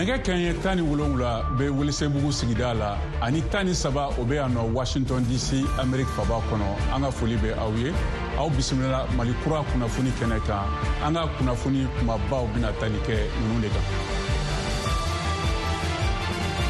Nɛgɛ kɛɲɛ 17 bɛ Welesebugu sigida la ani 13, o bɛ yan nɔ Washington DC, Amerique faba kɔnɔ. An ka foli bɛ aw ye, aw bisimila Mali Kura kunnafoni kɛnɛ kan. An ka kunnafoni kumabaw bɛna tali kɛ ninnu de kan.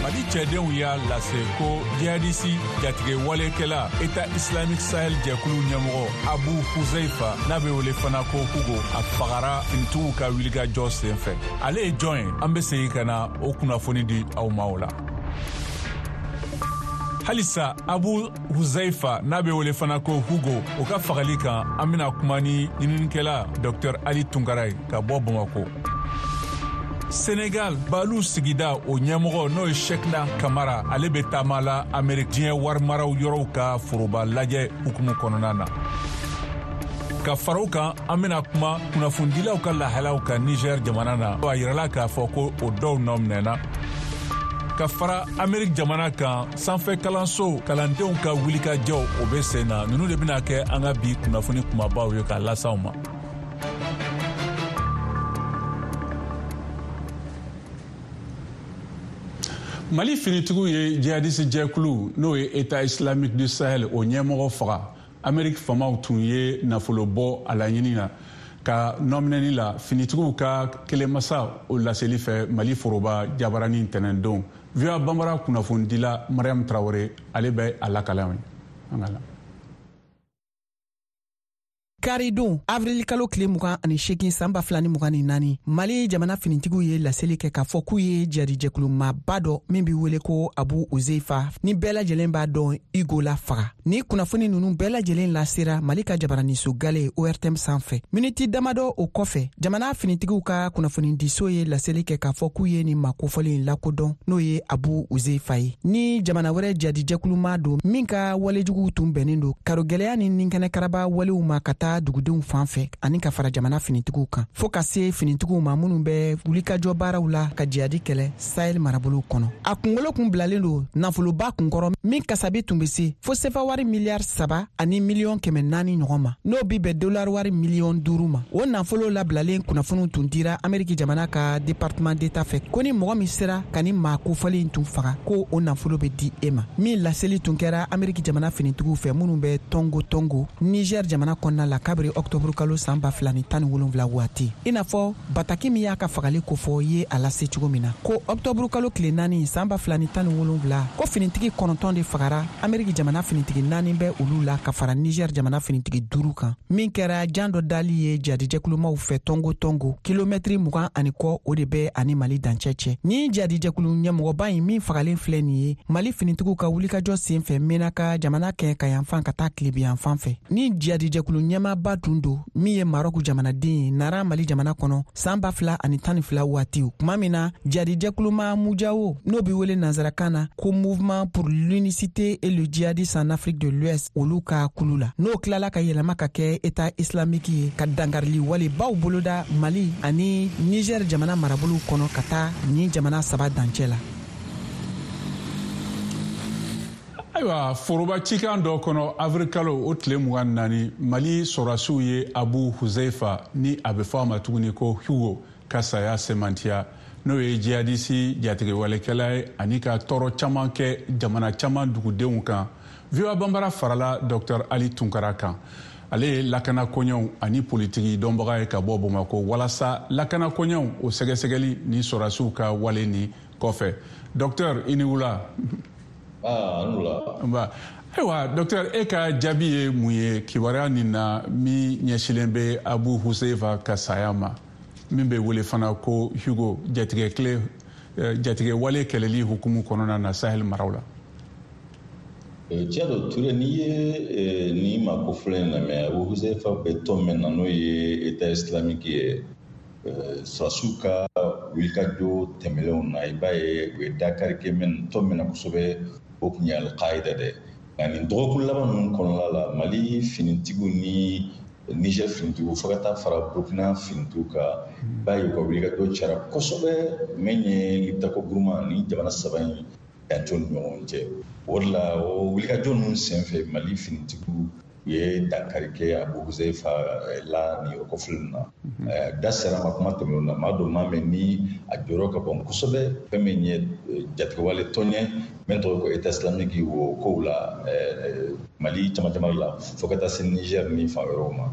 Mali cɛdenw y'a lase ko jihadisi jatigɛwalekɛla État Islamique Sahel jɛkulu ɲɛmɔgɔ Abu Huzaifa, n'a bɛ wele fana ko Hugo, a fagara finitigiw ka wulikajɔ senfɛ. Ale ye jɔn ye? An bɛ segin ka na o kunnafoni di aw ma o la. Halisa Abu Huzaifa, n'a bɛ wele fana ko Hugo, o ka fagali kan, an bɛna kuma ni ɲininikɛla Dr Ali Tunkara ye ka bɔ Bamako. Senegal, Balu sigida o ɲɛmɔgɔ, n'o ye Shekna Kamara, ale bɛ taama la Amerik diɲɛ warimaraw yɔrɔw ka foroba lajɛ hukumu kɔnɔna na. Ka fara o kan, an bɛna kuma kunnafonidilaw ka lahalaw kan Niger jamana na. A yirala k'a fɔ ko o dɔw nɔ minɛna. Ka fara Amerik jamana kan, sanfɛ kalanso kalandenw ka wulikajɔw, o bɛ sen na. Ninnu de bɛna kɛ an ka bi kunnafoni kumabaw ye k'a las'aw ma. Mali finitigiw ye jihadisi jɛkulu, n'o ye État Islamique du Sahel, o ɲɛmɔgɔ faga. Ameriki faamaw tun ye nafolo bɔ a laɲini na ka nɔminɛni la. Finitigiw ka kelenmasa o laseli fɛ Mali foroba jabarani tɛnɛndon, VOA Banbara kunnafonidila Mariam Traore, ale bɛ a lakale an ye. An ka la. Karidon, avril kalo tile 28, san 2024, Mali jamana finitigiw ye laseli kɛ k'a fɔ k'u ye jadijɛkulu maaba dɔ min be wele ko Abu Uzeifa, ni bɛɛ lajɛlen b'a dɔn Hugo la, faga. Ni kunnafoni nunu bɛɛ lajɛlen lasera Mali ka jabaraniso gale ORTM sanfɛ. Miniti damadɔ o kɔfɛ, jamana finitigiw ka kunnafonidiso ye laseli kɛ k'a fɔ k'u ye nin maa kofɔlen lakodɔn, n'o ye Abu Uzeifa ye, ni jamana wɛrɛ jadijɛkuluma don min ka walejuguw tun bɛnnen don karogɛlɛya ni ninkɛnɛkaraba walew ma ka taa dugudenw fan fɛ ani ka fara jamana finitigiw kan, fɔɔ ka se finitigiw ma minnu bɛ wulikajɔ baaraw la ka jihadi kɛlɛ Sahel marabolow kɔnɔ. A kungolo kun bilalen don nafoloba kunkɔrɔ min kasabi tun be se fo sefa wari miliyari 3 ani miliyɔn 400 ɲɔgɔn ma, n'o bi bɛn dolari wari miliyɔn 5 ma. O nafolo labilalen kunnafoniw tun dira Ameriki jamana ka Département d'État fɛ ko ni mɔgɔ min sera ka ni maa kofɔlen tun faga, ko o nafolo be di e ma. Min laseli tun kɛra Ameriki jamana finitigiw fɛ minnu bɛ Tɔngo Tɔngo, Niger jamana kɔnɔna la, kabiri ɔktɔburu kalo san 2017 waati, i n'a fɔ bataki min y'a ka fagali kofɔ ye a lase cogo min na ko ɔktɔburu kalo tile 4, san 2017, ko finitigi 9 de fagara. Ameriki jamana finitigi 4 bɛ olu la ka fara Niger jamana finitigi 5 kan, min kɛra jan dɔ dali ye jadijɛkulumaw fɛ Tɔngo Tɔngo, kilomɛtiri 20 ani kɔ, o de bɛ ani Mali dancɛ cɛ. Ni jadijɛkulu ɲɛmɔgɔba in min fagalen filɛ nin ye Mali finitigiw ka wulikajɔ sen fɛ Menaka jamana kɛ ka yanfan ka taa tilebiyanfan fɛ, ni jadijɛkulu ɲɛmaaba tun don min ye Marɔku jamanaden ye, nara Mali jamana kɔnɔ san 2012 waatiw, tuma min na jadijɛkuluma Mujawo, n'o be wele nansarakan na ko Mouvement pour l'unicité et le djihadisme en Afrique de l'Ouest, olu ka kulu la, n'o tilala ka yɛlɛma ka kɛ État Islamique ye, ka dankarili walebaw boloda Mali ani Niger jamana marabolow kɔnɔ ka taa ni jamana saba dancɛ la. Ayiwa, foroba cikan dɔ kɔnɔ avril kalo o tile 24, Mali sɔrɔdasiw ye Abu Huzaifa, ni a bɛ fɔ a ma tuguni ko Hugo, ka saya sɛmɛntiya, n'o ye jihadisi jatigɛwalekɛla ye ani ka tɔɔrɔ caman kɛ jamana caman dugudenw kan. VOA Banbara farala Dr Ali Tunkara kan, ale ye lakana koɲɛw ani politiki dɔnbaga ye ka bɔ Bamakɔ, walasa lakana koɲɛw o sɛgɛsɛgɛli ni sɔrɔdasiw ka wale ni kɔfɛ. Docteur, i ni wula. Ah, nba. Ayiwa docteur, e ka jaabi ye mun ye kibaruya nin na min ɲɛsilen bɛ Abu Huzaifa ka saya ma, min bɛ wele fana ko Hugo, jatigɛ wale kɛlɛli hukumu kɔnɔna na Sahel maraw la? Tiɲɛ don Ture, n'i ye nin maa kofɔlen in lamɛn, Abu Huzaifa bɛ tɔn min na, n'o ye État Islamique ye, sɔrɔdasiw ka wulikajɔ tɛmɛnlenw na, i b'a ye u ye dakari kɛ tɔn min na kosɛbɛ, o tun ye Al-Qaïda dɛ. Nka nin dɔgɔkun laban ninnu kɔnɔna la, Mali finitigiw ni Niger finitigiw, fo ka taa fara Burkina finitigiw kan, i b'a ye u ka wulikajɔ cayara kosɛbɛ min ye Liptako Gourma ni jamana saba in dancɛw ni ɲɔgɔn cɛ. O de la, o wulikajɔ ninnu senfɛ, Mali finitigiw U ye dankari kɛ Abu Huzaifa la nin yɔrɔ kofɔlen na. Da sera ma kuma tɛmɛnenw na, maa don maa min ni a jɔyɔrɔ ka bon kosɛbɛ, fɛn min ye jatigɛwale tɔn ye min tɔgɔ ko État islamique, o kow la Mali camancɛ la, fo ka taa se Niger ni fan wɛrɛw ma.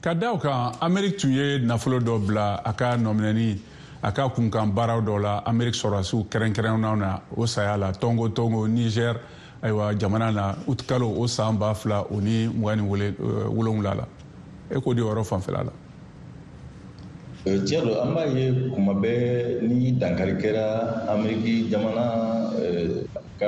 Ka da o kan, Ameriki tun ye nafolo dɔ bila a ka nɔminɛni, a ka kunkan baaraw dɔ la Ameriki sɔrɔdasiw kɛrɛnkɛrɛnnenw na, o saya la Tongo Tongo, Niger, ayiwa, jamana na, utikalo o san 2027 la. E k'o di yɔrɔ fanfɛla la. Tiɲɛ don, an b'a ye kuma bɛɛ ni dankari kɛra Ameriki jamana ka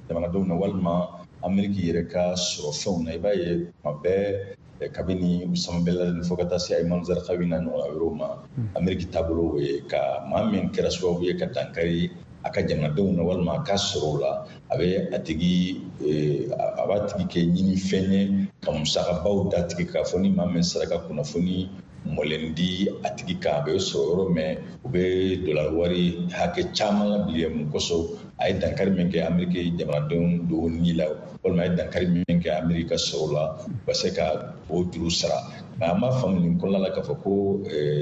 jamanadenw na walima Ameriki yɛrɛ ka sɔrɔfɛnw na, i b'a ye kuma bɛɛ, kabini Usama bin Laden fo ka taa se Ayman Zarqawi n'a ɲɔgɔnna wɛrɛw ma, Ameriki taabolo o ye ka maa min kɛra sababu ye ka dankari a ka jamanadenw na walima a ka sɔrɔw la, a bɛ a tigi a b'a tigi kɛ ɲinifɛn ye, ka musakabaw d'a tigi, k'a fɔ ni maa min sera ka kunnafoni mɔlen di a tigi kan, a bɛ sɔrɔ yɔrɔ min, u bɛ dolari wari hakɛ caman labila. Mun kosɔn? A ye dankari min kɛ Ameriki jamanadenw dɔw ni la walima a ye dankari min kɛ Ameriki ka sɔrɔ la, u ka se ka o juru sara. Nka an b'a faamu nin kɔnɔna la k'a fɔ ko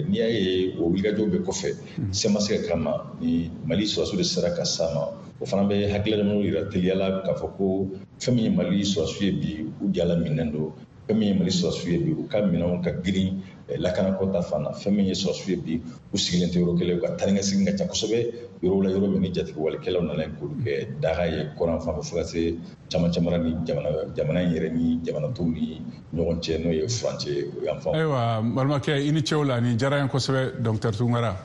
n'i y'a ye o wulikajɔw bɛɛ kɔfɛ, se ma se ka k'a ma, ni Mali sɔrɔdasiw de sera ka s'a ma, o fana bɛ hakilina yira teliya la k'a fɔ ko fɛn min ye Mali sɔrɔdasiw ye bi, u jala minɛn don. Fɛn min ye Mali sɔrɔdasiw ye bi, u ka minɛnw ka girin lakanako ta fan na. Fɛn min ye sɔrɔdasiw ye bi, u sigilen tɛ yɔrɔ kelen, u ka taa ni ka segin ka ca kosɛbɛ yɔrɔw la, yɔrɔ min ni jatigɛwalekɛlaw nana k'olu kɛ daga ye kɔrɔn fan fɛ, fo ka se camancɛ mara ni jamana in yɛrɛ ni jamana tɔw ni ɲɔgɔn cɛ, n'o ye furancɛ yan fan. Ayiwa, n balimakɛ, i ni ce o la, nin diyara n ye kosɛbɛ, docteur Tunkara.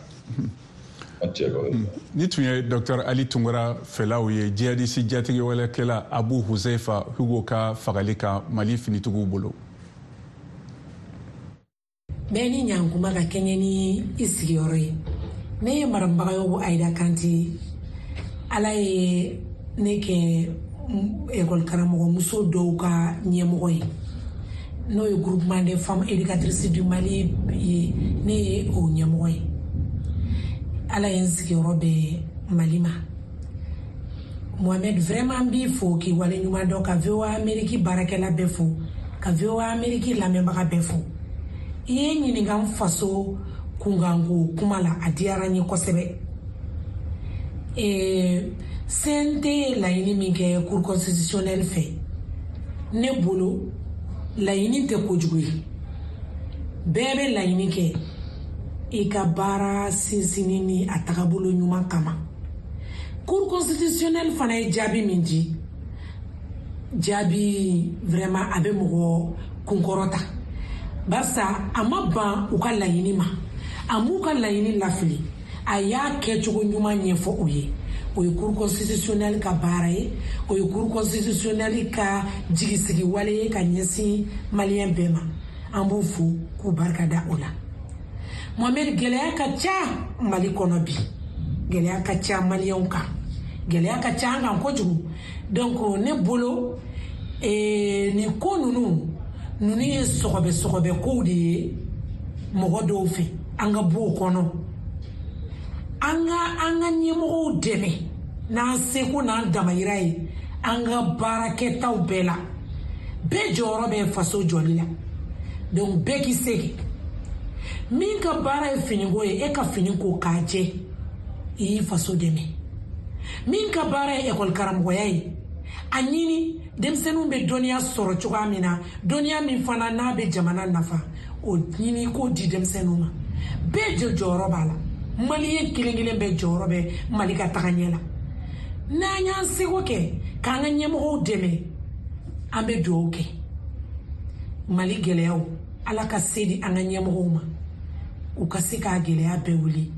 Ni tun ye docteur Ali Tunkara fɛlaw ye jihadisi jatigɛwalekɛla Abu Huzaifa Hugo ka fagali kan Mali finitigiw bolo. Bɛɛ ni ɲankuma ka kɛɲɛ ni i sigiyɔrɔ ye. Ne ye Madame Bagayogo Ayida Kante. Ala ye ne kɛ ekɔli karamɔgɔmuso dɔw ka ɲɛmɔgɔ ye, n'o ye Groupement des femmes éducatrices du Mali ye. Ne ye o ɲɛmɔgɔ ye. Ala ye n sigiyɔrɔ bɛn Mali ma. Mohamed, vraiment n b'i fo k'i waleɲuman dɔn, ka VOA Amérique baarakɛla bɛɛ fo, ka VOA Amérique lamɛnbaga bɛɛ fo. I ye n ɲininka n faso kunkanko kuma la, a diyara n ye kosɛbɛ. CNT ye laɲini min kɛ Cour constitutionnelle fɛ, ne bolo laɲini tɛ kojugu ye. Bɛɛ bɛ laɲini kɛ i ka baara sinsinni ni a tagabolo ɲuman kama. Cour constitutionnelle fana ye jaabi min di, jaabi vraiment a bɛ mɔgɔ kunkɔrɔta, barisa a ma ban u ka laɲini ma, a m'u ka laɲini lafili, a y'a kɛcogo ɲuman ɲɛfɔ u ye. O ye Cour constitutionnelle ka baara ye, o ye Cour constitutionnelle ka jigisigi wale ye ka ɲɛsin Maliyɛn bɛɛ ma. An b'u fo k'u barika da o la. Mohamed, gɛlɛya ka ca Mali kɔnɔ bi, gɛlɛya ka ca Maliyɛnw kan, gɛlɛya ka ca an kan kojugu. Donc ne bolo, nin ko ninnu ye sɔgɔbɛ sɔgɔbɛ kow de ye mɔgɔ dɔw fɛ. An ka bɔ o kɔnɔ, an ka an ka ɲɛmɔgɔw dɛmɛ n'an seko n'an damayira ye an ka baarakɛtaw bɛɛ la. Bɛɛ jɔyɔrɔ bɛ faso jɔli la, donc bɛɛ k'i se kɛ. Min ka baara ye finiko ye, e ka fini ko k'a jɛ, i y'i faso dɛmɛ. Min ka baara ye ekɔli karamɔgɔya ye, a ɲini denmisɛnninw bɛ dɔnniya sɔrɔ cogoya min na, dɔnniya min fana n'a bɛ jamana nafa, o ɲini k'o di denmisɛnninw ma. Bɛɛ jɔ jɔyɔrɔ b'a la. Maliyɛn kelen kelen bɛɛ jɔyɔrɔ bɛ Mali ka taga ɲɛ la. N'an y'an seko kɛ k'an ka ɲɛmɔgɔw dɛmɛ, an bɛ dugawu kɛ Mali gɛlɛyaw, Ala ka se di an ka ɲɛmɔgɔw ma, u ka se k'a gɛlɛya bɛɛ wuli.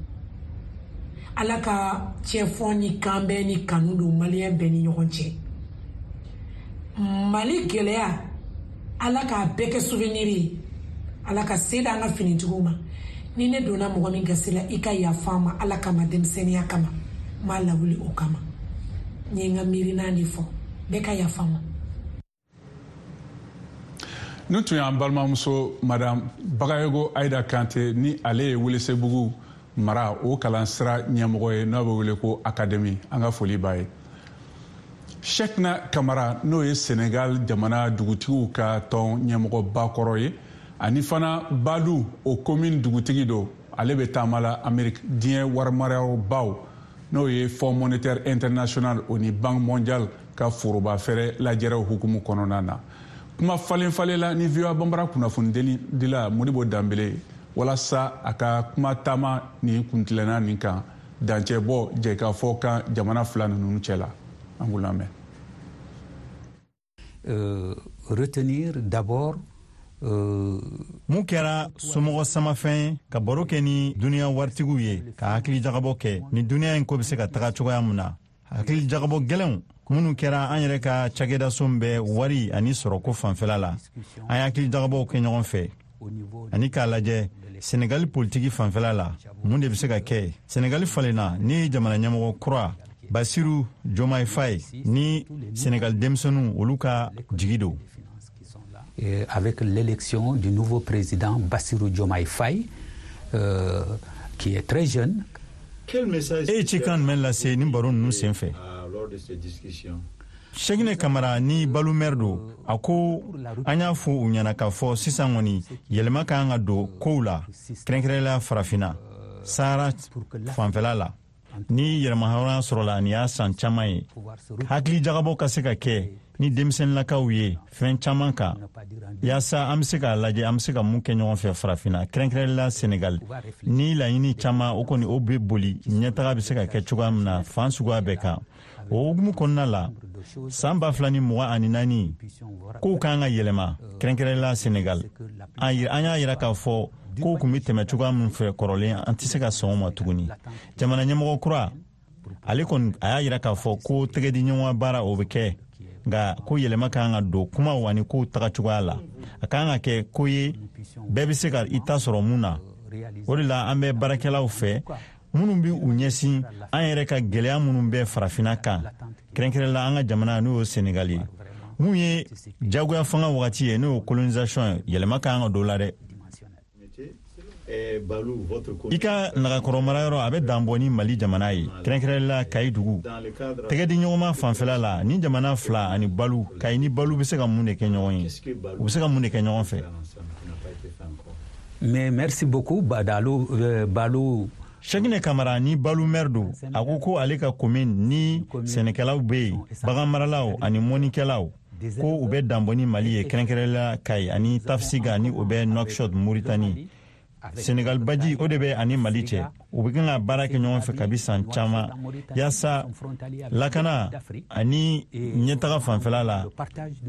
Ala ka cɛfɔ ni kanbɛn ni kanu don Maliyɛn bɛɛ ni ɲɔgɔn cɛ. Mali gɛlɛya, Ala k'a bɛɛ kɛ souvenir ye. Ala ka se d'an ka finitigiw ma. Ni ne donna mɔgɔ min gasi la, i ka yafa ma Ala kama, denmisɛnninya kama, n b'a lawuli o kama. N ye n ka miirina de fɔ, bɛɛ ka yafa ma. Nin tun y'an balimamuso Madame Bagayogo Ayida Kante, ni ale ye Welesebugu mara o kalansira ɲɛmɔgɔ ye, n'a bɛ wele ko académie. An ka foli b'a ye. Cheickna Kamara, n'o ye Senegal jamana dugutigiw ka tɔn ɲɛmɔgɔba kɔrɔ ye, ani fana Balu, o commune dugutigi don, ale bɛ taama la Amérique diɲɛ warimarayɔrɔbaw, n'o ye Fonds monétaire international o ni Banque mondiale ka foroba fɛrɛ lajɛrɛw hukumu kɔnɔna na. Kuma falen falen la ni VOA Bambara kunnafonidila Modibo Danbele walasa a ka kuma taama ni kuntilenna nin kan, dancɛ bɔ jɛkafɔ kan jamana fila ninnu cɛ la. An k'u lamɛn. Retenir d'abord Mun kɛra somɔgɔ samafɛn ye ka baro kɛ ni duniɲa waritigiw ye, ka hakili jagabɔ kɛ ni duniɲa in ko bɛ se ka taga cogoya mun na, hakili jagabɔ gɛlɛnw minnu kɛra an yɛrɛ ka cakɛdaso bɛ wari ani sɔrɔko fanfɛla la. An ye hakili jagabɔw kɛ ɲɔgɔn fɛ ani k'a lajɛ Senegali politiki fanfɛla la, mun de bɛ se ka kɛ. Senegali falenna ni jamana ɲɛmɔgɔ kura Basiru Jomayi Faye ni Senegali denmisɛnninw, olu ka jigi don. Avec l'élection du nouveau président Bassirou Diomaye Faye, qui est très jeune. E ye cikan jumɛn lase ni baro ninnu sen fɛ? Cheickna Kamara ni Balu maire don, a ko an y'a fɔ u ɲɛna k'a fɔ sisan kɔni yɛlɛma ka kan ka don kow la, kɛrɛnkɛrɛnnenya Farafinna Sahara fanfɛla la. Ni yɛrɛmahɔrɔnya sɔrɔla, nin y'a san caman ye, hakili jagabɔ ka se ka kɛ ni denmisɛnninlakaw ye fɛn caman kan, yaasa an be se k'a lajɛ an be se ka mun kɛ ɲɔgɔn fɛ Farafinna, kɛrɛnkɛrɛnla Senegal. Ni laɲini caman, o kɔni o be boli ɲɛtaga be se ka kɛ cogoya min na fan suguya bɛɛ kan. O hukumu kɔnɔna la, san 2024 kow kan ka yɛlɛma, kɛrɛnkɛrɛnla Senegal. An y'a yira k'a fɔ kow kun be tɛmɛ cogoya min fɛ kɔrɔlen, an tɛ se ka sɔn o ma tuguni. Jamana ɲɛmɔgɔ kura, ale kɔni a y'a yira k'a fɔ ko tɛgɛdiɲɔgɔn baara o bɛ kɛ, nka ko yɛlɛma kan ka don kumaw ani kow taga cogoya la. A kan ka kɛ ko ye bɛɛ bɛ se ka i ta sɔrɔ mun na. O de la an bɛ baarakɛlaw fɛ minnu bɛ u ɲɛsin an yɛrɛ ka gɛlɛya minnu bɛ Farafinna kan, kɛrɛnkɛrɛnla an ka jamana, n'o ye Senegal ye. Mun ye jagoya fanga wagati ye, n'o ye colonisation ye, yɛlɛma kan ka don la dɛ. I ka Nagakɔrɔ marayɔrɔ, a bɛ danbɔ ni Mali jamana ye, kɛrɛnkɛrɛnla Kayi dugu. Tɛgɛdiɲɔgɔnma fanfɛla la, ni jamana fila ani Balu, Kayi ni Balu bɛ se ka mun de kɛ ɲɔgɔn ye? U bɛ se ka mun de kɛ ɲɔgɔn fɛ? Mais merci beaucoup, Badalo, Balu. Cheickna Kamara ni Balu maire don, a ko ko ale ka commune ni sɛnɛkɛlaw bɛ yen, baganmaralaw ani mɔnikɛlaw, ko u bɛ danbɔ ni Mali ye, kɛrɛnkɛrɛnla Kayi ani Tafsiga, ni o bɛ Nouakchott, Mauritanie. Senegal baji, o de bɛ ani Mali cɛ. U bɛ kan ka baara kɛ ɲɔgɔn fɛ kabi san caman, yaasa lakana ani ɲɛtaga fanfɛla la,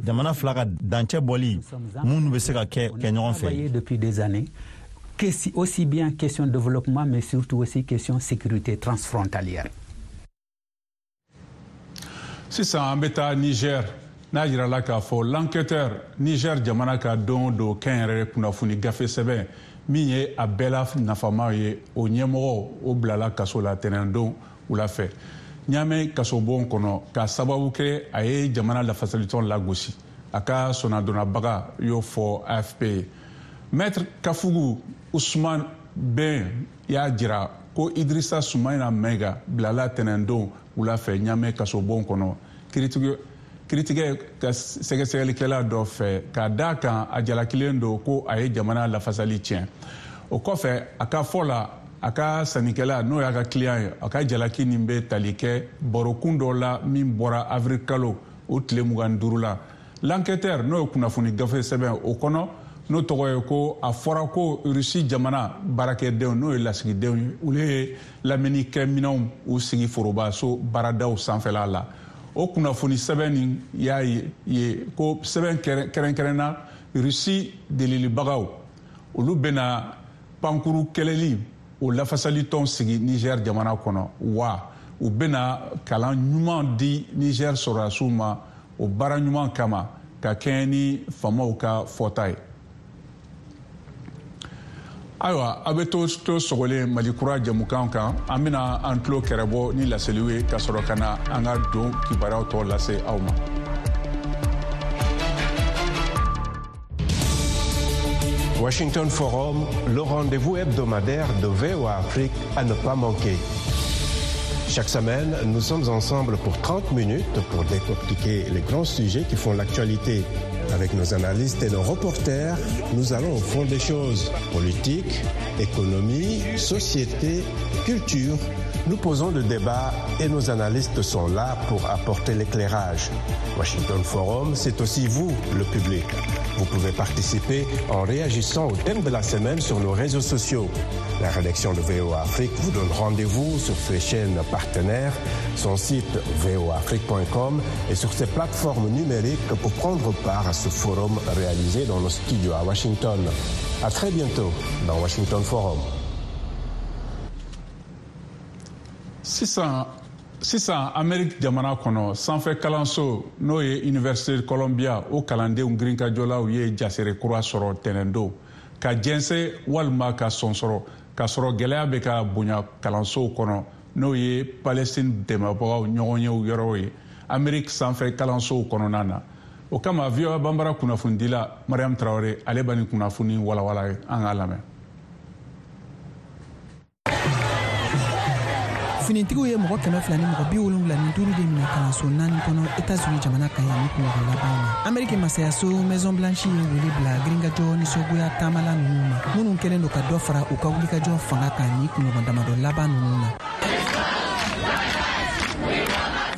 jamana fila ka dancɛ bɔli minnu bɛ se ka kɛ ɲɔgɔn fɛ. Depuis des années, aussi bien question développement, mais surtout aussi question sécurité transfrontalière. Sisan an bɛ taa Niger, n'a jirala k'a fɔ L'Enquêteur, Niger jamana ka don o don kɛnyɛrɛ kunnafoni gafe sɛbɛn min ye a bɛɛ la nafama ye, o ɲɛmɔgɔ o bilala kaso la tɛnɛndon wula fɛ Ɲamɛ kasobon kɔnɔ, k'a sababu kɛ a ye jamana lafasalitɔn lagosi. A ka sɔnadonnabaga y'o fɔ AFP ye. Maître Kafugu Usman Ben y'a jira ko Idrissa Soumaïla Maïga bilala tɛnɛndon wula fɛ Ɲamɛ kasobon kɔnɔ kiritigɛ ka sɛgɛsɛgɛlikɛla dɔ fɛ, k'a da kan a jalakilen don ko a ye jamana lafasali tiɲɛ. O kɔfɛ, a ka fɔ la, a ka sannikɛla, n'o y'a ka client ye, a ka jalaki nin bɛ tali kɛ barokun dɔ la min bɔra avril kalo o tile 25 la L'Enquêteur, n'o ye kunnafoni gafe sɛbɛn o kɔnɔ, n'o tɔgɔ ye ko a fɔra ko Rusi jamana baarakɛdenw, n'o ye lasigidenw ye, olu ye lamɛnnikɛminɛnw u sigi forobaso baaradaw sanfɛla la. O kunnafoni sɛbɛn nin y'a ye ko sɛbɛn kɛrɛnkɛrɛnna Rusi delilibagaw, olu bɛna pankuru kɛlɛli o lafasalitɔn sigi Niger jamana kɔnɔ, wa u bɛna kalan ɲuman di Niger sɔrɔdasiw ma o baara ɲuman kama, ka kɛɲɛ ni faamaw ka fɔta ye. Ayiwa, a bɛ to sɔgɔlen Mali Kura jɛmukan kan. An bɛna an tulo kɛrɛbɔ ni laseliw ye ka sɔrɔ ka na an ka don kibaruyaw tɔ lase aw ma. Washington Forum, le rendez-vous hebdomadaire de VOA Afrique à ne pas manquer. Chaque semaine, nous sommes ensemble pour 30 minutes pour décortiquer les grands sujets qui font l'actualité. Avec nos analystes et nos reporters, nous allons au fond des choses. Politique, économie, société, culture. Nous posons le débat et nos analystes sont là pour apporter l'éclairage. Washington Forum, c'est aussi vous, le public. Vous pouvez participer en réagissant au thème de la semaine sur nos réseaux sociaux. La rédaction de VOA Afrique vous donne rendez-vous sur ses chaînes partenaires, son site voaafrique.com et sur ses plateformes numériques pour prendre part à ce forum réalisé dans nos studios à Washington. À très bientôt dans Washington Forum. Sisan sisan, Amerique jamana kɔnɔ, sanfɛ kalanso n'o ye Université Columbia, o kalandenw girinkajɔlaw ye jasere kura sɔrɔ tɛnɛndon ka jɛnsɛ walima ka sɔnsɔrɔ, k'a sɔrɔ gɛlɛya bɛ ka bonya kalansow kɔnɔ, n'o ye Palestine dɛmɛbagaw ɲɔgɔnyew yɔrɔw ye Amerique sanfɛ kalansow kɔnɔna na. O kama, VOA Banbara kunnafonidila Mariam Tarawele, ale b'a nin kunnafoni walawala ye. An k'a lamɛn. Finitigiw ye mɔgɔ 275 de minɛ kalanso naani kɔnɔ Etats-Unis jamana kan yan ni kunɲɔgɔn laban na. Ameriki masayaso Maison Blanche ye wele bila girinkajɔ nisɔngoya taamala ninnu ma, minnu kɛlen don ka dɔ fara u ka wulikajɔ fanga kan ni kunɲɔgɔn damadɔ laban ninnu na.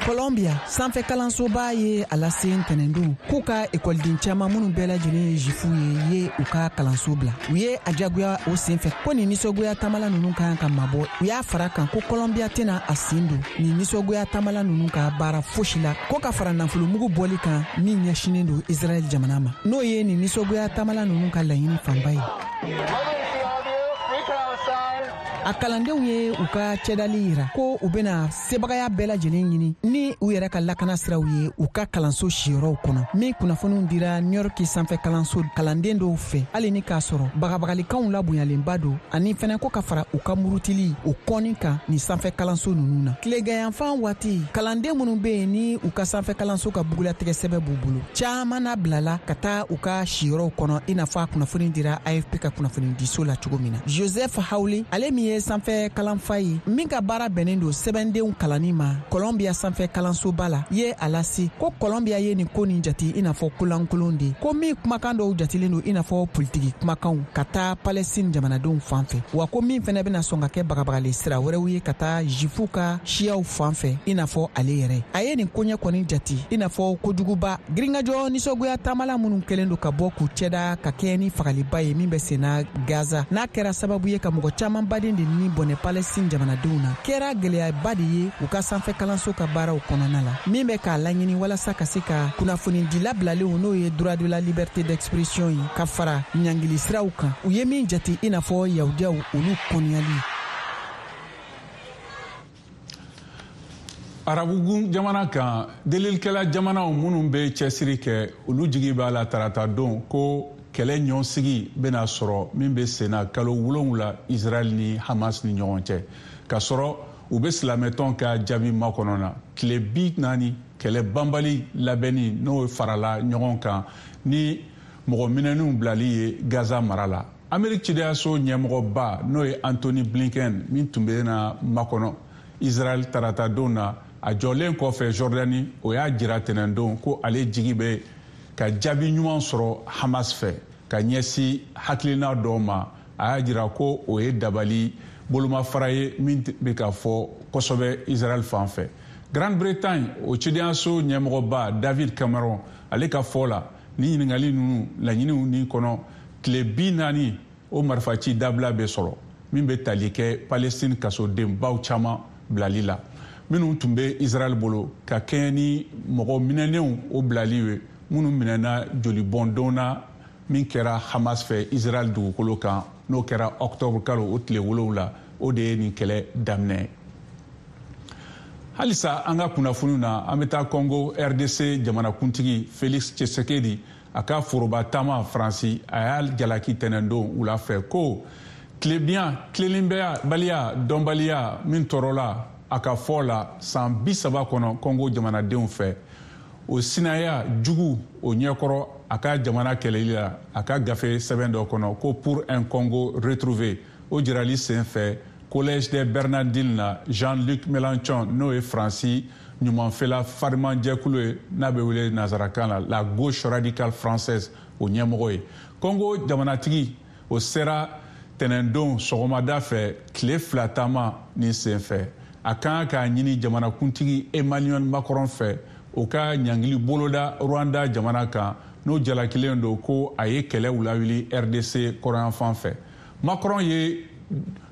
Colombia sanfɛ kalansoba ye a lase ntɛnɛndon k'u ka ekɔliden caman, minnu bɛɛ lajɛlen ye Zifuw ye, ye u ka kalanso bila. U ye a jagoya o senfɛ ko nin nisɔngoya taamala ninnu ka kan ka mabɔ. U y'a fara kan ko Colombia tɛna a sen don nin nisɔngoya taamala ninnu ka baara fosi la, ko ka fara nafolomugu bɔli kan min ɲɛsinen don Israɛl jamana ma, n'o ye nin nisɔngoya taamala ninnu ka laɲini fanba ye. A kalandenw ye u ka cɛdali yira ko u bena sebagaya bɛɛ lajɛlen ɲini ni u yɛrɛ ka lakana siraw ye u ka kalanso siyɔrɔw kɔnɔ, min kunnafoniw dira New York sanfɛ kalanso kalanden dɔw fɛ, hali ni k'a sɔrɔ bagabagalikanw labonyalenba don, ani fɛnɛ ko ka fara u ka murutili o kɔni kan nin sanfɛ kalanso nunu na. Tileganyanfan waati, kalanden minnu be yen ni u ka sanfɛ kalanso ka bugulatigɛ sɛbɛ b'u bolo, caaman na bilala ka taa u ka siyɔrɔw kɔnɔ, i n'a fɔ a kunnafoni dira AFP ka kunnafonidiso la cogo min na. Joseph Hawley, ale min ye sanfɛ kalanfa ye min ka baara bɛnnen don sɛbɛndenw kalanni ma Columbia sanfɛ kalansoba la, ye a lase ko Columbia ye nin ko nin jate i n'a fɔ kolankolon de, ko min kumakan dɔw jatilen don i n'a fɔ politiki kumakanw ka taa Palestine jamanadenw fan fɛ, wa ko min fɛnɛ bɛna sɔn ka kɛ bagabagali sira wɛrɛw ye ka taa Zifuw ka siyaw fan fɛ. I n'a fɔ ale yɛrɛ, a ye nin koɲɛ kɔni jate i n'a fɔ kojuguba. Girinkajɔ nisɔngoya taamala minnu kɛlen don ka bɔ k'u cɛda ka kɛɲɛ ni fagaliba ye min bɛ senna Gaza, n'a kɛra sababu ye ka mɔgɔ caman baden de ni bɔnɛ Palestine jamanadenw na, kɛra gwɛlɛyaba de ye u ka sanfɛ kalanso ka baaraw kɔnɔna la, min bɛ k'a laɲini walasa ka se ka kunnafonidila bilalenw, n'o ye droit de la liberté d'expression ye, ka fara ɲangili siraw kan, u ye min jate i n'a fɔ Yahudiyaw olu kɔniyali. Arabugun jamana kan, delilikɛla jamanaw minnu bɛ cɛsiri kɛ, olu jigi b'a la tarata don ko kɛlɛ ɲɔsigi bɛna sɔrɔ min bɛ senna kalo 7 Israɛl ni Hamas ni ɲɔgɔn cɛ, k'a sɔrɔ u bɛ silamɛtɔn ka jaabi makɔnɔ na. Tile 40 kɛlɛ banbali labɛnni, n'o farala ɲɔgɔn kan ni mɔgɔ minɛnenw bilali ye Gaza mara la. Ameriki cidenyaso ɲɛmɔgɔba, n'o ye Antony Blinken, min tun bɛ na makɔnɔ Israɛl tarata don na, a jɔlen kɔfɛ Jordani, o y'a jira tɛnɛndon ko ale jigi bɛ ka jaabi ɲuman sɔrɔ Hamas fɛ ka ɲɛsin hakilina dɔw ma. A y'a jira ko o ye dabali bolomafara ye min bɛ ka fɔ kosɛbɛ Israɛl fan fɛ. Grande Bretagne, o cidenyaso ɲɛmɔgɔba David Cameron, ale ka fɔ la, ni ɲininkali ninnu laɲiniw ni kɔnɔ, tile 40 o marifaci dabila bɛ sɔrɔ min bɛ tali kɛ Palestine kasodenbaw caman bilali la minnu tun bɛ Israɛl bolo, ka kɛɲɛ ni mɔgɔ minɛnenw o bilali ye minnu minɛna jolibɔndon na min kɛra Hamas fɛ Israɛl dugukolo kan, n'o kɛra octobre kalo o tile 7, o de ye nin kɛlɛ daminɛ ye. Halisa an ka kunnafoniw na, an bɛ taa Congo RDC jamanakuntigi Felix Tshisekedi, a ka foroba taama Faransi, a y'a jalaki tɛnɛndon wula fɛ ko tilebiya tilenbaliya dɔnbaliya min tɔɔrɔla, a ka fɔ la, san 30 kɔnɔ Congo jamanadenw fɛ, o sinaya jugu o ɲɛkɔrɔ a ka jamana kɛlɛli la. A ka gafe sɛbɛn dɔ kɔnɔ ko Pour un Congo retrouvé, o jirali sen fɛ Collège des Bernardines na, Jean-Luc Mélenchon, n'o ye Faransi ɲumanfɛla farimanjɛkulu ye n'a bɛ wele nansarakan la la gauche radicale française, o ɲɛmɔgɔ ye. Congo jamanatigi, o sera tɛnɛndon sɔgɔmada fɛ tile 2 taama nin senfɛ. A kan k'a ɲini jamanakuntigi Emmanuel Macron fɛ, o ka ɲangili boloda Rwanda jamana kan, n'o jalakilen don ko a ye kɛlɛw lawuli RDC kɔrɔnyanfan fɛ. Macron ye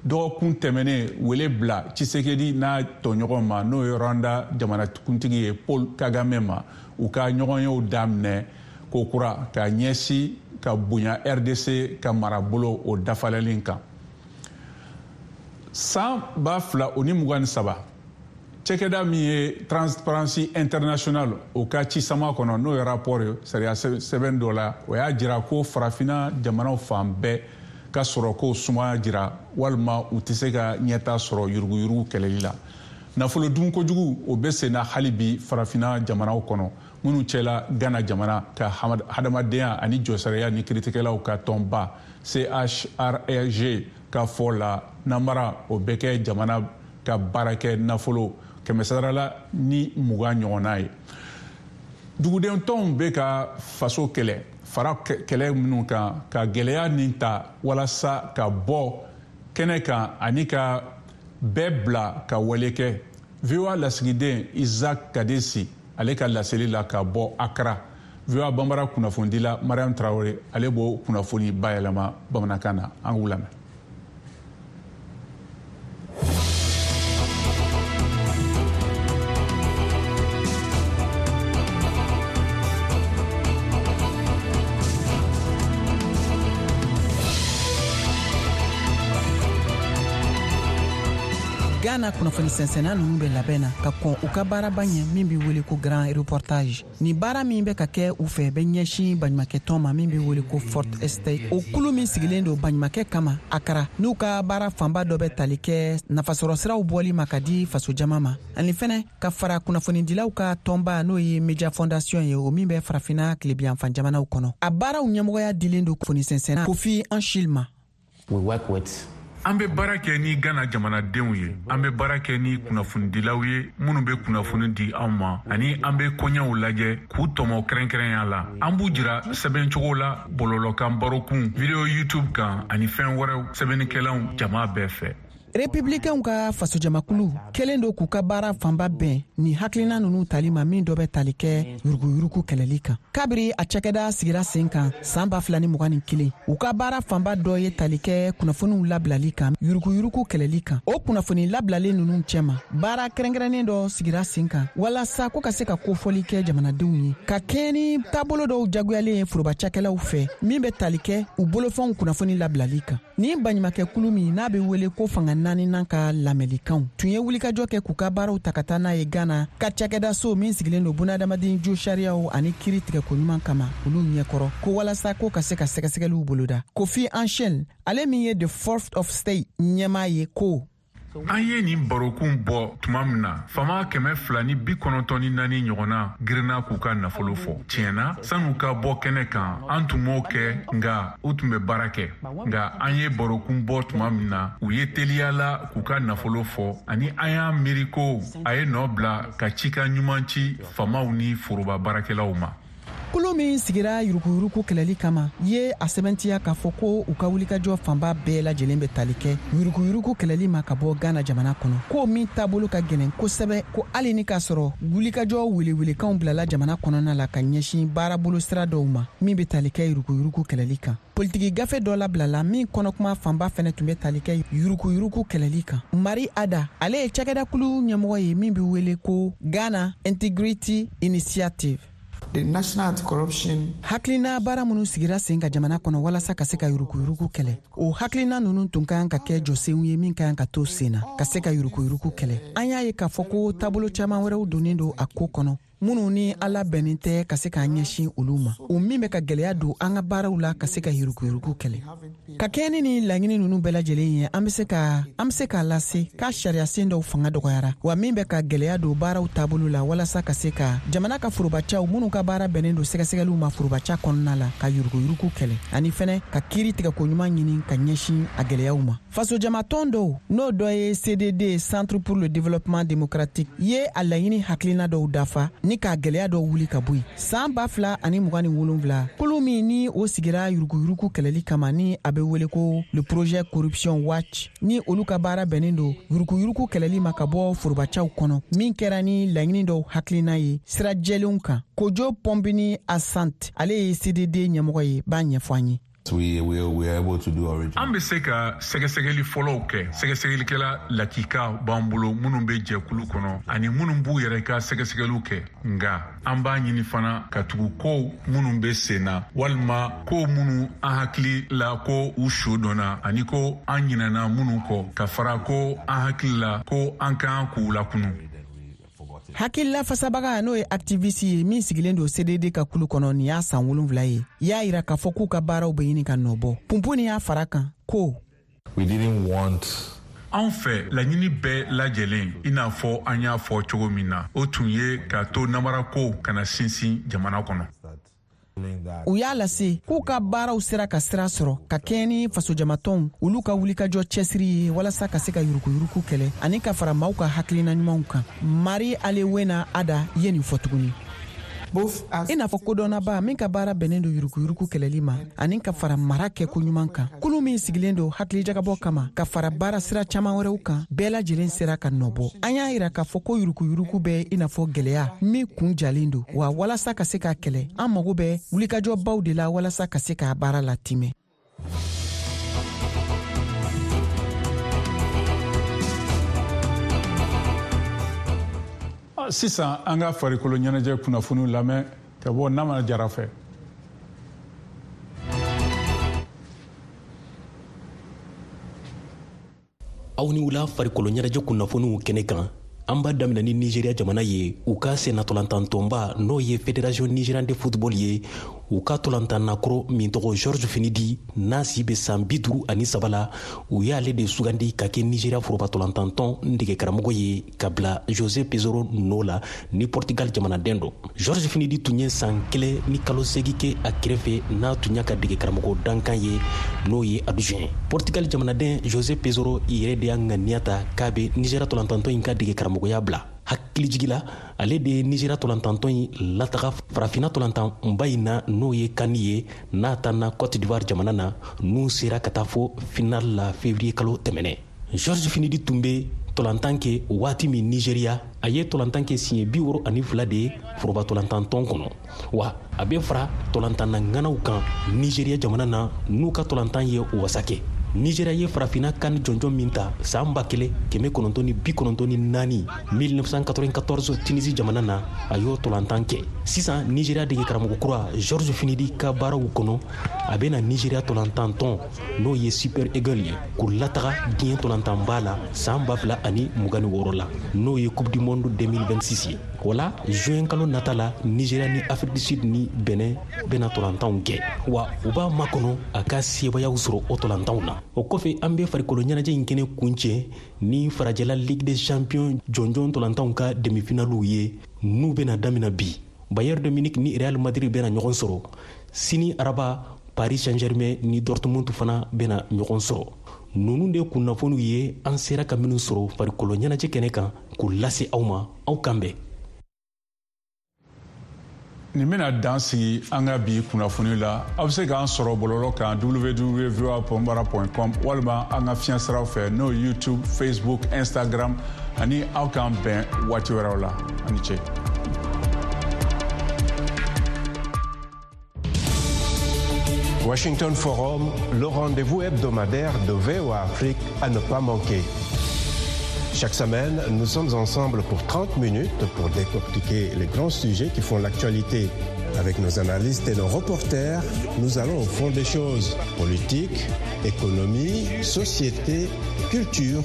dɔgɔkun tɛmɛnen wele bila Tshisekedi n'a tɔɲɔgɔn ma, n'o ye Rwanda jamanakuntigi ye Paul Kagame ma, u ka ɲɔgɔnyew daminɛ kokura ka ɲɛsin ka bonya RDC ka marabolo o dafalɛli kan. San 2023, cɛkɛda min ye Transparency International, o ka cisama kɔnɔ, n'o ye rapport ye sariya sɛbɛn dɔ la, o y'a jira ko Farafinna jamanaw fan bɛɛ ka sɔrɔko sumaya jira walima u tɛ se ka ɲɛta sɔrɔ yuruguyurugu kɛlɛli la. Nafolo dun kojugu, o bɛ sen na hali bi Farafinna jamanaw kɔnɔ, minnu cɛla Ghana jamana ka hadamadenya ani jɔsariya ni kiritigɛlaw ka tɔnba CHRAJ ka fɔ la, namara o bɛ kɛ jamana ka baarakɛ nafolo 120% ɲɔgɔnna ye. Duguden tɔnw bɛ ka faso kɛlɛ fara kɛlɛ minnu kan ka gɛlɛya nin ta walasa ka bɔ kɛnɛ kan ani ka bɛɛ bila ka wale kɛ. VOA lasigiden Isaac Kadesi, ale ka laseli la ka bɔ Accra, VOA Banbara kunnafonidila Mariam Traore, ale b'o kunnafoni bayɛlɛma bamanankan na. An k'u lamɛn. Ghana kunnafoni sɛnsɛnna ninnu bɛ labɛn na ka kɔn u ka baaraba ɲɛ min bɛ wele ko Grand Reportage. Nin baara min bɛ ka kɛ u fɛ bɛ ɲɛsin baɲumakɛtɔn ma min bɛ wele ko Fourth Estate, o kulu min sigilen don baɲumakɛ kama Akara, n'u ka baara fanba dɔ bɛ tali kɛ nafasɔrɔ siraw bɔli ma ka di fasojama ma, ani fɛnɛ ka fara kunnafonidilaw ka tɔnba, n'o ye Media Fondation ye, o min bɛ Farafina tilebiyanfan jamanaw kɔnɔ. A baaraw ɲɛmɔgɔya dilen don kunnafoni sɛnsɛnna Kofi Anshil ma. We work with An bɛ baara kɛ ni Gana jamanadenw ye, an bɛ baara kɛ ni kunnafonidilaw ye minnu bɛ kunnafoni di anw ma, ani an bɛ koɲɛw lajɛ k'u tɔmɔ kɛrɛnkɛrɛnya la. An b'u jira sɛbɛncogo la bɔlɔlɔkan, barokun, video YouTube kan ani fɛn wɛrɛw sɛbɛnnikɛlaw jama bɛɛ fɛ. Republikɛnw ka fasojamakulu kɛlen don k'u ka baara fanba bɛn ni hakilina nunu tali ma, min dɔ bɛ tali kɛ yuruguyurugu kɛlɛli kan. Kabiri a cakɛda sigira sen kan saan 2021, u ka baara fanba dɔ ye tali kɛ kunnafoniw labilali kan yuruguyurugu kɛlɛli kan. O kunnafoni labilalen nunu cɛma, baara kɛrɛnkɛrɛnnen dɔ sigira sen kan walasa ko ka se ka kofɔli kɛ jamanadenw ye ka kɛɲɛ ni taabolo dɔw jagoyalen ye foroba cakɛlaw fɛ, min bɛ tali kɛ u bolofɛnw kunnafoni labilali kan. Ni baɲumakɛkulu min n'a bɛ wele ko Fanga Naaninan ka lamɛnlikanw tun ye wulikajɔ kɛ k'u ka baaraw ta ka taa n'a ye Gana ka cakɛdaso min sigilen don bunadamaden jo sariyaw ani kiri tigɛko ɲuman kama, olu ɲɛkɔrɔ, ko walasa ko ka se ka sɛgɛsɛgɛliw boloda. Kofi Anshel, ale min ye The Fourth Estate ɲɛmaa ye, ko An ye nin barokun bɔ tuma min na, fama 294 ɲɔgɔnna girinna k'u ka nafolo fɔ. Tiɲɛna, san'u ka bɔ kɛnɛ kan, an tun m'o kɛ, nka u tun bɛ baara kɛ. Nka an ye barokun bɔ tuma min na, u ye teliya la k'u ka nafolo fɔ, ani an y'a miiri ko a ye nɔ bila ka cikan ɲuman ci famaw ni foroba baarakɛlaw ma. Kulu min sigira yuruguyurugu kɛlɛli kama ye a sɛbɛntiya k'a fɔ ko u ka wulikajɔ fanba bɛɛ lajɛlen bɛ tali kɛ yuruguyurugu kɛlɛli ma ka bɔ Gana jamana kɔnɔ, ko min taabolo ka gɛlɛn kosɛbɛ, ko hali ni k'a sɔrɔ wulikajɔ welewelekanw bilala jamana kɔnɔna la ka ɲɛsin baarabolo sira dɔw ma min bɛ tali kɛ yuruguyurugu kɛlɛli kan. Politiki gafe dɔ labilala min kɔnɔkuma fanba fɛnɛ tun bɛ tali kɛ yuruguyurugu kɛlɛli kan. Mari Ada, ale ye cakɛdakulu ɲɛmɔgɔ ye min bɛ wele ko Ghana Integrity Initiative. The National Anti-Corruption Hakilina baara minnu sigira sen ka jamana kɔnɔ walasa ka se ka yuruguyurugu kɛlɛ, o hakilina ninnu tun ka kan ka kɛ jɔsenw ye min ka kan ka to sen na ka se ka yuruguyurugu kɛlɛ. An y'a ye k'a fɔ ko taabolo caman wɛrɛw donnen don a ko kɔnɔ. minnu ni ala bɛnnen tɛ ka se k'an ɲɛsin olu ma, o min bɛ ka gwɛlɛya don an ka baaraw la ka se ka yuruguyurugu kɛlɛ. Ka kɛɲɛ ni nin laɲini ninnu bɛɛ lajɛlen ye, an bɛ se ka an bɛ se k'a lase k'a sariyasen dɔw fanga dɔgɔyara, wa min bɛ ka gwɛlɛya don baaraw taabolo la walasa ka se ka jamana ka forobacaw minnu ka baara bɛnnen don sɛgɛsɛgɛliw ma forobaca kɔnɔna la, ka yuruguyurugu kɛlɛ, ani fɛnɛ ka kiiri tigɛko ɲuman ɲini ka ɲɛsin a gwɛlɛyaw ma. Fasojamatɔn dɔw, n'o dɔ ye CDD, Centre pour le développement démocratique ye, a laɲini hakilina dɔw dafa ni k'a gwɛlɛya dɔw wuli ka bɔ yen. San 2027, kulu min ni o sigira yuruguyurugu kɛlɛli kama, ni a bɛ wele ko le projet Corruption Watch, ni olu ka baara bɛnnen don yuruguyurugu kɛlɛli ma ka bɔ forobacaw kɔnɔ, min kɛra ni laɲini dɔw hakilina ye sira jɛlenw kan. Kojo Pɔnbini Asante, ale ye CDD ɲɛmɔgɔ ye, b'a ɲɛfɔ an ye. An bɛ se ka sɛgɛsɛgɛli fɔlɔw kɛ. Sɛgɛsɛgɛlikɛla lakika b'an bolo minnu bɛ jɛkulu kɔnɔ ani minnu b'u yɛrɛ ka sɛgɛsɛgɛliw kɛ. Nka an b'a ɲini fana ka tugu kow minnu bɛ sen na, walima kow minnu an hakili la ko u su dɔnna ani ko an ɲinɛna minnu kɔ, ka fara ko an hakili la ko an kan k'u lakunu. Hakilila fasabaga, n'o ye activiste ye min sigilen don CDD ka kulu kɔnɔ nin y'a san 7 ye, y'a yira k'a fɔ k'u ka baaraw bɛ ɲini ka nɔ bɔ. Punpuni y'a fara kan ko: We didn't want Anw fɛ, laɲini bɛɛ lajɛlen, i n'a fɔ an y'a fɔ cogo min na, o tun ye k'a to namarako kana sinsin jamana kɔnɔ. U y'a lase k'u ka baaraw sera ka sira sɔrɔ ka kɛɲɛ ni fasojamatɔnw olu ka wulikajɔ cɛsiri ye walasa ka se ka yuruguyurugu kɛlɛ ani ka fara maaw ka hakilina ɲumanw kan. Mari Alewena Ada ye nin fɔ tuguni: i n'a fɔ kodɔnnaba min ka baara bɛnnen don yuruguyurugu kɛlɛli ma ani ka fara mara kɛko ɲuman kan, kulu min sigilen don hakilijagabɔ kama ka fara baara sira caaman wɛrɛw kan, bɛɛ lajɛlen sera ka nɔbɔ. An y'a yira k'a fɔ ko yuruguyurugu bɛ i n'a fɔ gwɛlɛya min kun jalen don, wa walasa ka se k'a kɛlɛ, an mago bɛ wulikajɔbaw de la walasa ka se k'a baara latimɛ. Sisan an ka farikolo ɲɛnajɛ kunnafoniw lamɛn ka bɔ Nama Jara fɛ. Aw ni wula. Farikolo ɲɛnajɛ kunnafoniw kɛnɛ kan, an b'a daminɛ ni Nigeria jamana ye. U ka sennatɔlantantɔnba, n'o ye Fédération nigériane de football ye, u ka tɔlantannakɔrɔ min tɔgɔ George Finidi, n'a si bɛ san 53 la, u y'ale de sugandi ka kɛ Nigeria foroba tɔlantantɔn dege karamɔgɔ ye ka bila Jose Peseiro nɔ la, ni Portugal jamanaden don. George Finidi tun ye san 1 ni kalo 8 kɛ a kɛrɛfɛ, n'a tun y'a ka dege karamɔgɔ dankan ye, n'o ye adjoint. Portugal jamanaden Jose Peseiro yɛrɛ de y'a ŋaniya ta k'a bɛ Nigeria tɔlantantɔn in ka dege karamɔgɔya bila. Hakilijigi la, ale de ye Nigéria tɔlantantɔn in lataga Farafinna tɔlantanba in na, n'o ye CAN ye, n'a tanna Côte d'Ivoire jamana na, n'u sera ka taa fo final la février kalo tɛmɛnɛ. George Finidi tun bɛ tɔlantan kɛ waati min Nigéria, a ye tɔlantan kɛ siɲɛ 62 de ye foroba tɔlantantɔn kɔnɔ, wa a bɛ fara tɔlantanna ŋanaw kan Nigéria jamana na, n'u ka tɔlantan ye wasa kɛ. Nigéria ye Farafinna CAN jɔnjɔn min ta san 1994, 1994, Tunisie jamana na, a y'o tɔlantan kɛ. Sisan Nigéria dege karamɔgɔ kura George Finidi ka baaraw kɔnɔ, a bɛna Nigéria tɔlantantɔn, n'o ye Super Eagle ye, k'u lataga diɲɛ tɔlantanba la san 2026 la, n'o ye Coupe du monde 2026 ye. O la, juin kalo nata la, Nigéria ni Afrique du Sud ni Benin bɛna tɔlantanw kɛ, wa u b'a makɔnɔ a ka sebayaw sɔrɔ o tɔlantanw na. O kɔfɛ, an bɛ farikolo ɲɛnajɛ in kɛnɛ kuncɛ ni farajɛla Ligue des champions jɔnjɔn tɔlantanw ka demi-finaliw ye, n'u bɛna damina bi. Bayern de Munich ni Real Madrid bɛna ɲɔgɔn sɔrɔ sini araba. Paris Saint-Germain ni Dortmund fana bɛna ɲɔgɔn sɔrɔ. Ninnu de kunnafoniw ye an sera ka minnu sɔrɔ farikolo ɲɛnajɛ kɛnɛ kan k'u lase aw ma. Aw kan bɛn. Nin bɛna dan sigi an ka bi kunnafoni la. Aw bɛ se k'an sɔrɔ bɔlɔlɔ kan www.voabambara.com, walima an ka fiɲɛ siraw fɛ, n'o ye YouTube, Facebook, Instagram. Ani aw k'an bɛn waati wɛrɛw la. A ni ce. Washington Forum, le rendez-vous hebdomadaire de VOA Afrique à ne pas manquer. Chaque semaine, nous sommes ensemble pour 30 minutes pour décortiquer les grands sujets qui font l'actualité. Avec nos analystes et nos reporters, nous allons au fond des choses. Politique, économie, société, culture.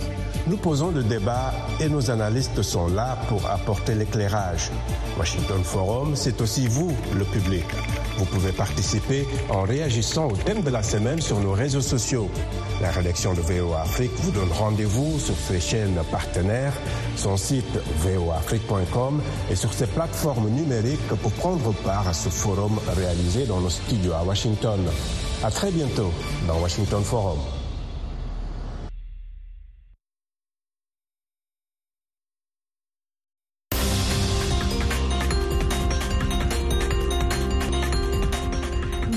Nous posons le débat et nos analystes sont là pour apporter l'éclairage. Washington Forum, c'est aussi vous, le public. Vous pouvez participer en réagissant au thème de la semaine sur nos réseaux sociaux. La rédaction de VOA Afrique vous donne rendez-vous sur ses chaînes partenaires, son site voaafrique.com et sur ses plateformes numériques pour prendre part à ce forum réalisé dans nos studios à Washington. À très bientôt dans Washington Forum.